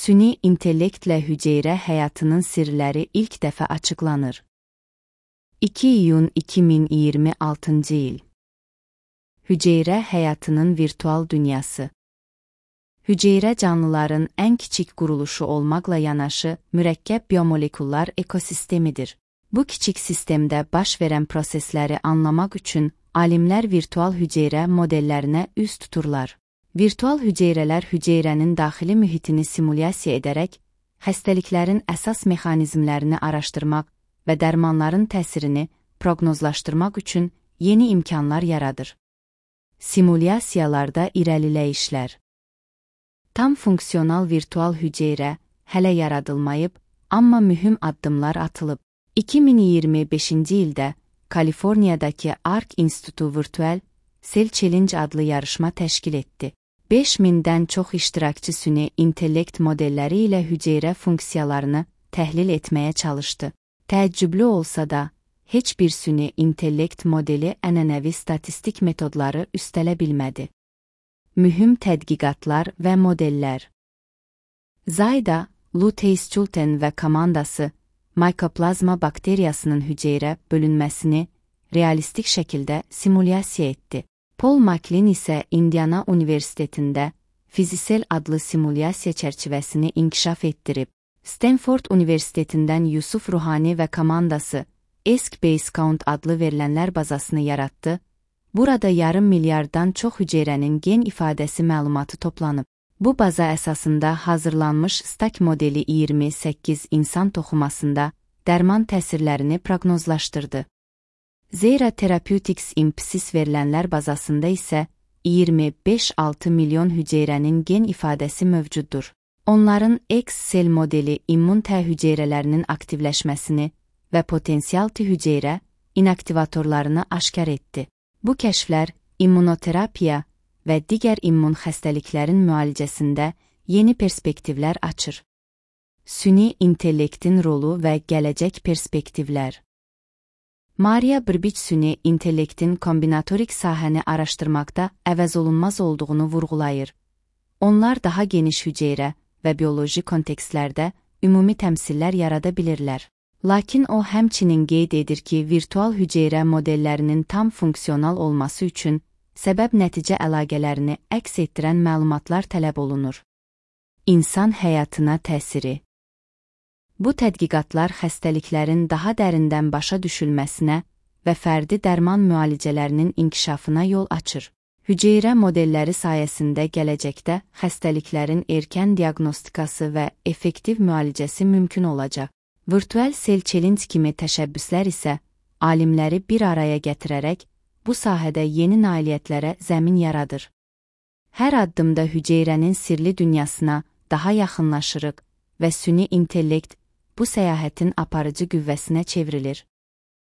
Süni intellektlə hüceyrə həyatının sirləri ilk dəfə açıqlanır. 2 iyun 2026 il. Hüceyrə həyatının virtual dünyası. Hüceyrə canlıların ən kiçik quruluşu olmaqla yanaşı mürəkkəb biomolekullar ekosistemidir. Bu kiçik sistemdə baş verən prosesləri anlamaq üçün alimlər virtual hüceyrə modellərinə üz tuturlar. Virtual hüceyrələr hüceyrənin daxili mühitini simulyasiya edərək, xəstəliklərin əsas mexanizmlərini araşdırmaq və dərmanların təsirini proqnozlaşdırmaq üçün yeni imkanlar yaradır. Simulyasiyalarda irəliləyişlər. Tam funksional virtual hüceyrə hələ yaradılmayıb, amma mühüm addımlar atılıb. 2025-ci ildə Kaliforniyadakı Arc İnstitutu Virtual Cell Challenge adlı yarışma təşkil etdi. 5000-dən çox iştirakçı süni intellekt modelləri ilə hüceyrə funksiyalarını təhlil etməyə çalışdı. Təəccüblü olsa da, heç bir süni intellekt modeli ənənəvi statistik metodları üstələ bilmədi. Mühüm tədqiqatlar və modellər. Zayda, Lou Teischouten və komandası Mycoplasma bakteriyasının hüceyrə bölünməsini realistik şəkildə simulyasiya etdi. Paul MacLean isə Indiana Universitetində Fizisel adlı simulyasiya çərçivəsini inkişaf etdirib. Stanford Universitetindən Yusuf Ruhani və komandası ESC-Basecount adlı verilənlər bazasını yaratdı. Burada yarım milyarddan çox hüceyrənin gen ifadəsi məlumatı toplanıb. Bu baza əsasında hazırlanmış STAC modeli 28 insan toxumasında dərman təsirlərini proqnozlaşdırdı. Zera Therapeutics Impsis verilənlər bazasında isə 25-6 milyon hüceyrənin gen ifadəsi mövcuddur. Onların X-Cell modeli immun T hüceyrələrinin aktivləşməsini və potensial T hüceyrə inaktivatorlarını aşkar etdi. Bu kəşflər immunoterapiya və digər immun xəstəliklərin müalicəsində yeni perspektivlər açır. Süni intellektin rolu və gələcək perspektivlər. Maria Burbich süni intellektin kombinatorik sahəni araşdırmaqda əvəzolunmaz olduğunu vurğulayır. Onlar daha geniş hüceyrə və bioloji kontekstlərdə ümumi təmsillər yarada bilirlər. Lakin o həmçinin qeyd edir ki, virtual hüceyrə modellərinin tam funksional olması üçün səbəb-nəticə əlaqələrini əks etdirən məlumatlar tələb olunur. İnsan həyatına təsiri. Bu tədqiqatlar xəstəliklərin daha dərindən başa düşülməsinə və fərdi dərman müalicələrinin inkişafına yol açır. Hüceyrə modelləri sayəsində gələcəkdə xəstəliklərin erkən diaqnostikası və effektiv müalicəsi mümkün olacaq. Virtual Cell Challenge kimi təşəbbüslər isə alimləri bir araya gətirərək bu sahədə yeni nailiyyətlərə zəmin yaradır. Hər addımda hüceyrənin sirli dünyasına daha yaxınlaşırıq və süni intellekt bu səyahətin aparıcı qüvvəsinə çevrilir.